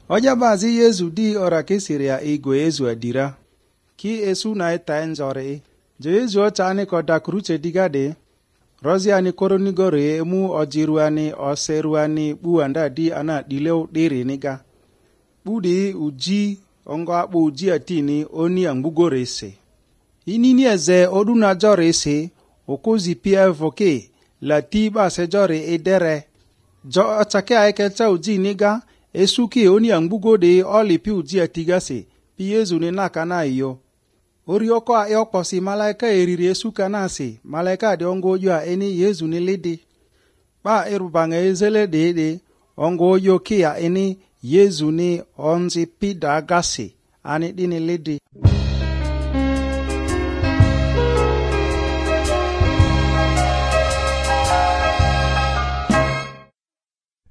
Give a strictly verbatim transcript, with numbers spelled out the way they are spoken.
Oja bazi Yesu di ora kisiria igwe Yesu adira. Ki esu na eta enjore. Je Yesu ochani koda kruche digade. Rozi ani koronigore emu ojiruani oseruani buanda di ana dileu diri niga. Budi uji ongo abu uji atini oni angbugore se. Inini eze oduna jore se okozi pia voke la tiba se jore edere. Jo achake aikecha uji niga esuki oni angbugode oli pi uji atiga se pi Yesu ni nakana iyo. Orioko a eokposi malaika eriri esuka nasi malaika de ongo yo a eni Yesu ni lidi. Ba erubanga ezele dede ongo yo kia eni Yesu ni onzi pida gasi ani dini lidi.